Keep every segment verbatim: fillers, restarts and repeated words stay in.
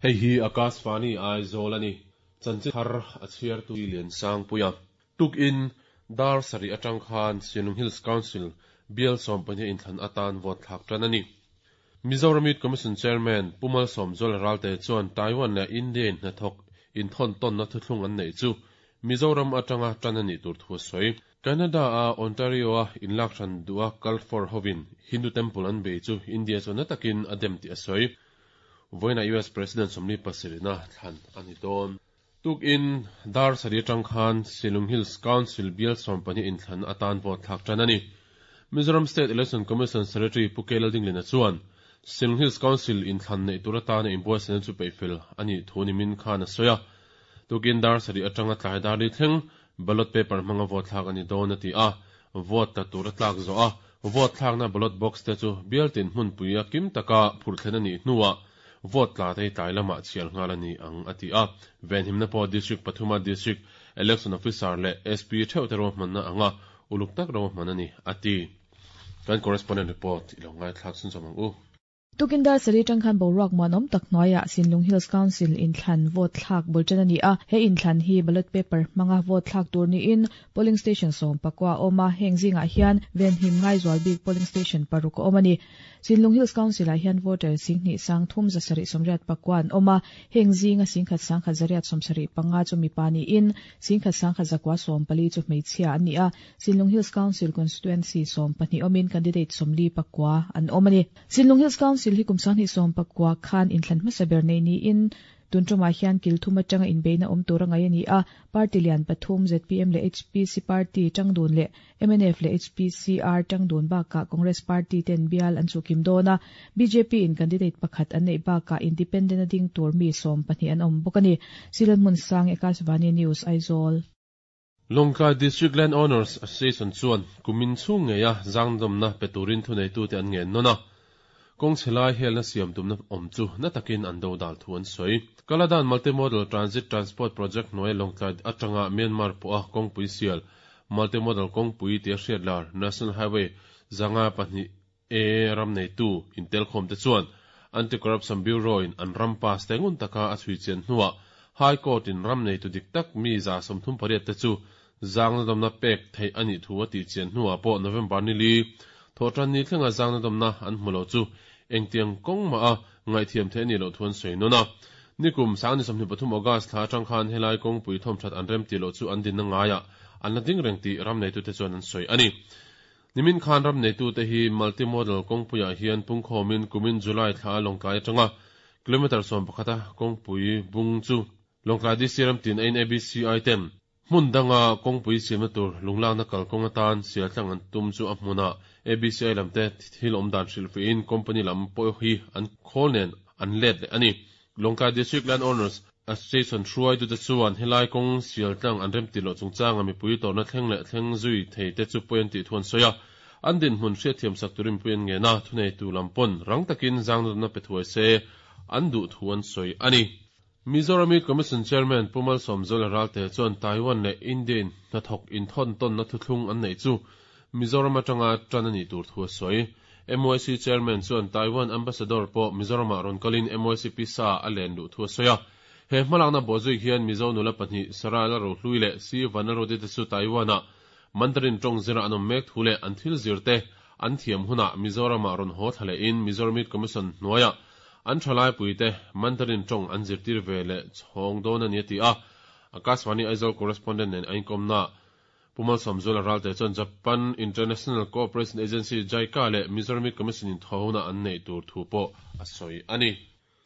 Hei hi Akashvani Aizawl a ni. Chanchin thar a chhiartu Liansangpuia. Tukin dar sarih atang khan Sinlung Hills Council bial sawm pahnih inthlan atan vote thlak tan a ni. Mizoram Youth Commission Chairman Pu Malsawmzuala Ralte chuan Taiwan leh India in hnathawk inthawn tawnna thuthlung an neih chu Mizoram atanga tan a nih tur thu a sawi. Canada a Ontario a inlak hran duha kal for hovin Hindu temple an bei chu India chuan na takin a dem tih a sawi. Vawiinah U S President sawmli pasarihna thlan a ni dawn. Tukin dar sarih atang khan Sinlung Hills Council bial sawm pahnih inthlan atan vote thlak tan a ni. Mizoram State Election Commission Secretary Pu K Laldingliana chuan Sinlung Hills Council inthlan neih tur atana inbuatsaihna chu peihfel a nih thu nimin khan a sawi a. Tukin dar sarih atanga tlai dar li thleng ballot paper hmanga vote thlak a ni dawn a ti a. Vote tla tur a tlak zo a, vote thlakna ballot box te chu bial tin hmunpui a kim taka phurh thlen a nih hnuah vote tla te hi tlai lamah chhiar nghal a ni ang a ti a. Venhimna pawh district pathuma district election officer leh S P theuh te ruahmanna anga uluk tak ruahman a ni a ti. Kan correspondent report i lo ngaithlak chhun zawm ang u. Tukin dar sarih atang khan boruak muanawm tak hnuaiah Sinlung Hills Council inthlan vote thlak bul tan a ni a. He inthlan hi ballot paper hmanga vote thlak tur niin polling station sawm pakua a awm a, heng zingah hian venhim ngai zual bik polling station paruk a awm a ni. Sinlung Hills Council ah hian voter singhnih sang thum zasarih sawmriat pakua an awm a, heng zinga singkhat sangkhat zariat sawmsarih panga chu mipa niin singkhat sangkhat zakua sawm pali chu hmeichhia an ni a. Sinlung Hills Council constituency sawm pahnih awmin candidate sawmli pakua an awm a ni. Sinlung Hills Council hi kum sanghnih sawm pakua khan inthlan hmasa ber nei niin tun tumah hian kilthum atanga inbeina awm tur a ngai a ni a. Party lian pathum Z P M leh H P C party tangdun leh M N F leh H P C R tangdun bakah Congress party ten bial an chukim dawn a. B J P in candidate pakhat an neih bakah independent a ding tur mi sawm pahnih an awm bawk a ni. Silan mun sang Akashvani News, Aizawl. Lawngtlai District Land Owners Association chuan kumin chhung ngeia zangdawmna pe turin thuneitu te an ngen nawn a. Kawng chhelai helna siam tumna awm chu na takin an do dal thu an sawi. Kaladan Multimodal Transit Transport Project hnuai Lawngtlai atanga Myanmar pawh a kawngpui sial Multimodal kawngpui tia hriatlar National Highway zanga pahnih e ram neitu intel khawm te chuan Anti-Corruption Bureau in an ram pass te ngun taka a chhui chian hnuah High Court in ram neitu dik tak mi za sawmthum pariat te chu zangna dawmna pek theih ani thu a tih chian hnuah pawh November ni li thawhtan ni thlenga zangna dawmna an hmulo chu engtiang kawng ma a ngaihthiam the ani lo thu an sawi nawn a. Nikum sang ni sawmhnih pathum August thla atang khan helai kawngpui thawm that an rem ti lo chu an dinna ngaia an la ding reng tih ram neitu te chuan an sawi ani. Nimin khan ram neitu te hi multimodal kawngpuiah hian pungkhawmin kumin July thla Lawngtlai atanga kilometer sawm pakhata kawngpui bung chu Lawngtlai D C ram tin ain A B C I ten hmun danga kawngpui siamna tur lunglakna kalkawng atan sial tlang an tum chu a hmuna A B C I lamte thil awm dan hrilhfiin company lam pawh hi an khawl nen an let leh ani. Lawngtlai District Land Owners Association hruaitu te chuan helai kawng sial tlang an rem ti lo chungchanga mipui tawrhna thleng leh thleng zui thei te chu pawi an tih thu an sawi a. An din hmun hriatthiam sak turin pui an ngen a, thuneitu lam pawn rang takin zangna pe thuai se an duh thu an sawi ani. Mizoram Youth Commission Chairman Pu Malsawmzuala Ralte chuan Taiwan leh India in hnathawk inthawn tawnna thuthlung an neih chu Mizoram atanga tan ani tur thu a sawi. M Y C Chairman chuan Taiwan Ambassador pawh Mizoramah rawn kalin M Y C P sa a len luh thu a sawi a. He hmalakna bawhzui hian Mizo nula pahnih Sarah Lalrohlui leh Si Vanlalruati te chu Taiwan-ah Mandarin tawng zira an awm mek thu leh an thil zir te an thiam hunah Mizoramah rawn haw thla lehin Mizoram Youth Commission hnuaiah an thalai puite Mandarin tawng an zirtir ve leh chhawng dawn ani a ti a. Akashvani Aizawl correspondent nen a inkomna Pu Malsawmzuala Ralte chuan Japan International Cooperation Agency JICA leh Mizoram Youth Commission in thawhuna an nei tur thu pawh a sawi ani.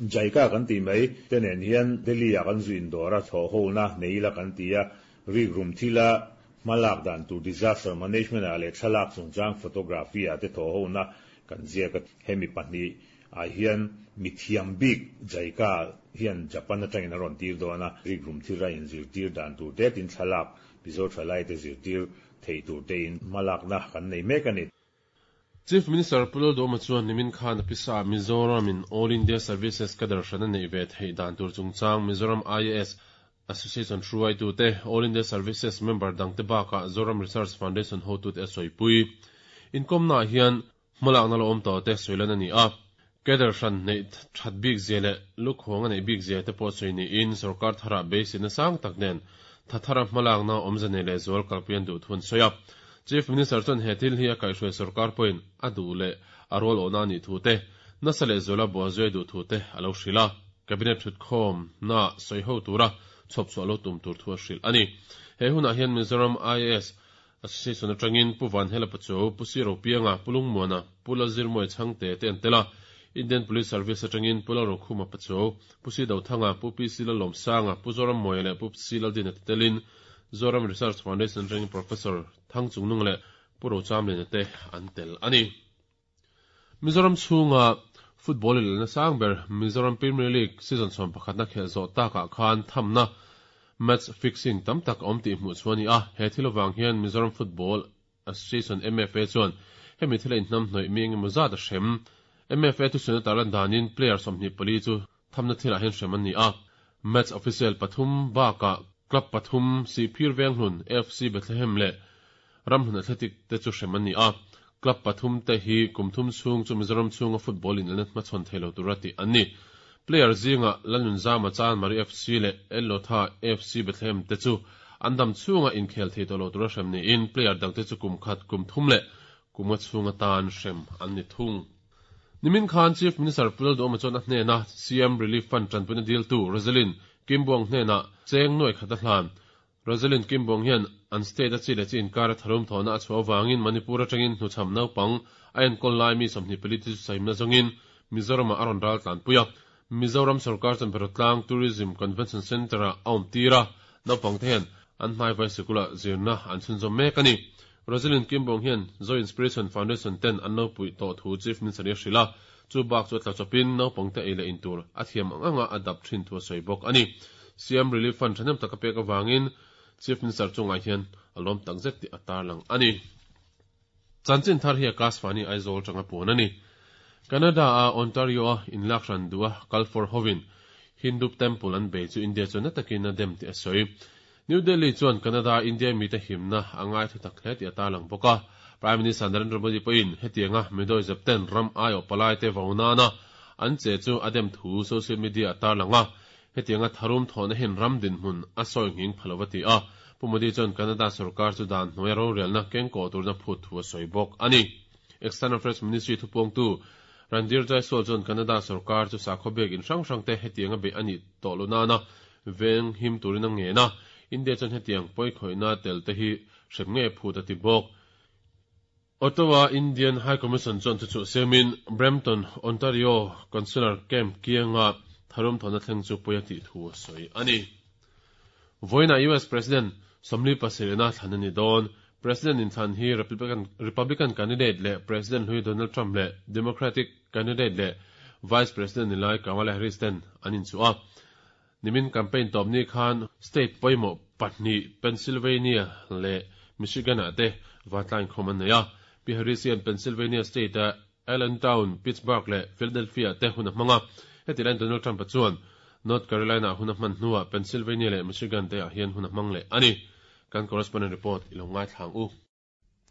JICA kan ti mai tenen hian Delhi a kan zuin dora tho ho na neila kan tia rik rum thila malak dan tur disaster management a le thalak chungchang photography a te tho ho na kan zia ka hemi pahnih a hian mithiam bik JICA hian Japan atangin a rawn tir dawn a, rik rum thila in zir tir dan tur te tin thalak Mizo thalai te zir tir thei tur te in malak na kan nei mek ani. Chief Minister Pu Lalduhoma chuan nimin khan a pisa Mizoram in All India Services cadre hrana nei ve thei dan tur chungchang Mizoram I A S Association hruaitu te, All India Services member dangte bakah Zoram Research Foundation hotu te a sawipui. Inkomna hian hmalakna lo awm tawh te sawilan ani a. Cadre hran nei that bik zia leh lukhawng a neih bik zia te pawh sawi niin sorkar tharah beiseina sang tak nen thathara hmalakna awmze nei leh zual kalpui an duh thu an sawi a. Chief Minister chuan he thil hi a kaihhruai sorkar pawhin a duh leh a rual awhna a nih thu te, nasa leh zuala bawhzui duh thu te a lo hrilh a. Cabinet thutkhawm na sawi ho tura chhawp chhuah lo tum tur thu a hrilh a ni. He hunah hian Mizoram I A S Association atangin Pu Vanhela Pachuau, Pu Siro Pianga, Pu Lungmuana, Pu Lalzirmawia Chhangte te an tel a. Indian Police Service atangin Pu Lalrokhuma Pachuau, Pu Si Dothanga, Pu P C Lalawmsanga, Pu Zorammawia leh Pu C Laldina te telin Zoram Research Foundation atangin Professor Thangchungnung leh Pu Rochamlina te an tel a ni. Mizoram chhunga football inelna sang ber Mizoram Premier League season sawm pakhatna khelh zawh takah khan thamna match fixing tam tak a awm tih hmuh chu a ni a. He thil avang hian Mizoram Football Association M F A chuan hemi thila inhnam hnawih mi engemaw zat a hrem. M F A thusawi tarlan danin player sawmhnih pali chu thamna thilah hian hrem an ni a. Match official pathum bakah club pathum Sihphir Venghlun, F C Bethlehem leh Ramhlun Athletic te chu hrem an ni a. Club pathum te hi kum thum chhung chu Mizoram chhunga football inelna hmachhawn theilo tura tih an ni. Player zinga Lalnun Zama Chan Mari F C leh El Lotha F C Bethlehem te chu an dam chhunga inkhel thei tawh lo tura hrem niin player dangte chu kum khat kum thum leh kuma chhunga tan hrem an ni thung. Nimin Khan Chief Minister Pu Lalduhoma chuan a hnena C M Relief Fund tanpuina deal tu Rosalind Kimbuang hnena cheng nuai khat a hlan. Rosalind Kimbuang hian an state a chi leh chi inkar a tharum thawhna a chhuah avangin Manipur atangin hnuchham naupang a enkawl lai mi sawmhnih pali te chu sahimna zawngin Mizoramah a rawn ral tlanpui a. Mizoram sarkar chuan Berotlang Tourism Convention Centre ah a awm tir a, naupang te hian an hnai vai sikula zirna an chhunzawm mek a ni. Rosalind Kimbuang hian Zo Inspiration Foundation ten an lo puih tawh thu Chief Minister hi a hrilh a, chu bak chu a tla chawpin naupang te ei leh in tur a thiam ang anga a dap thin thu a sawi bawk a ni. C M Relief Fund thahnem tak a pek avangin Chief Minister chungah hian a lawm tak zet tih a tarlang a ni. Chanchin thar hi Akashvani Aizawl tanga puan a ni. Canada a Ontario a inlak hran duh a Kalfor hovin Hindu Temple an bei chu India chuan na takin a dem tih a sawi. New Delhi chuan Canada India mite himna a ngai thu tak hle tih a tarlang bawk a. Prime Minister Narendra Modi pawhin hetianga midawih zepten ram aiawh palai te vonana an che chu a dem thu social media a tarlang a. Hetianga tharum thawhna hin ram dinhmun a sawi nghing phalova ti a. Pu Modi chuan Canada sarkar chu dan hnuai rorelna kengkaw turna phut thu a sawi bawk a ni. External Affairs Ministry thupawngtu Randhir Jaiswal chuan Canada sarkar chu sakhaw bek in hrang hrang te hetianga bei ani tawh lo nana veng him turin a ngena. India chuan hetiang pawi khoihna tel te hi hrem nge phut a ti bawk. Ottawa Indian High Commission chuan chu chu semin Brampton, Ontario Consular Camp kianga tharum thawhna thleng chu pawi a tih thu a sawi a ni. Voina U S President Somli Pasirina thlan a ni dawn. President in thlan hi Republican, Republican candidate leh President hlui Donald Trump leh Democratic candidate leh Vice President nilai Kamala Harris ten an inchuh a. Nimin campaign tawp ni khan state pawimawh pahnih Pennsylvania leh Michigan ah te vatlain khawm an nei a. Pi Harris hian Pennsylvania state a Allentown, Pittsburgh leh Philadelphia te hun a hmang a. Heti laiin Donald Trump a chuan North Carolina hun a hman hnuah Pennsylvania leh Michigan te ah hian hun a hmang leh a ni. Kan correspondent report ilo ngai thlang u.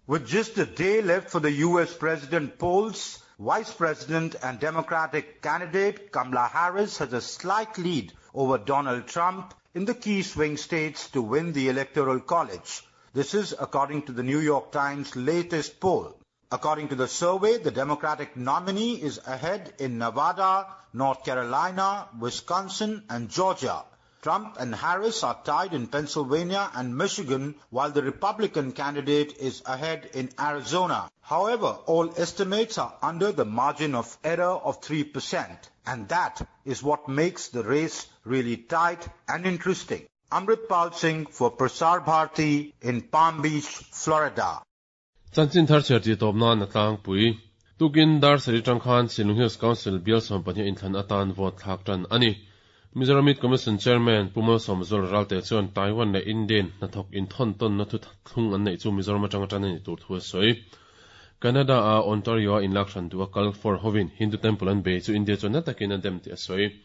With just a day left for the U S president polls, Vice President and Democratic candidate Kamala Harris has a slight lead over Donald Trump in the key swing states to win the Electoral College. This is according to the New York Times' latest poll. According to the survey, the Democratic nominee is ahead in Nevada, North Carolina, Wisconsin and Georgia. Trump and Harris are tied in Pennsylvania and Michigan, while the Republican candidate is ahead in Arizona. However, all estimates are under the margin of error of three percent, and that is what makes the race really tight and interesting. Amrit Pal Singh for Prasar Bharati in Palm Beach, Florida. Chanchin thar cher ti tawp nan a tlangpui. Tukin dar sari tang khan Shillong Hills Council bial sawm pahnih inthlan atan vote thlak tan ani. Mizoram Youth Commission Chairman Pu Malsawmzuala Ralte chuan Taiwan leh Indian hnathawk inthon tawn na thu thlung an neih chu Mizoram atanga tan ani tur thu a sawi. Canada a Ontario a inlak hran duh a kal for hovin Hindu Temple an bei chu India chuan na takin a dem tih a sawi.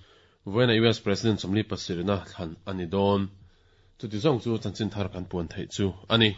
Voina U S President Somli Pasirina thlan ani dawn. Chuti zawng chu chanchin thar kan puan theih chu ani.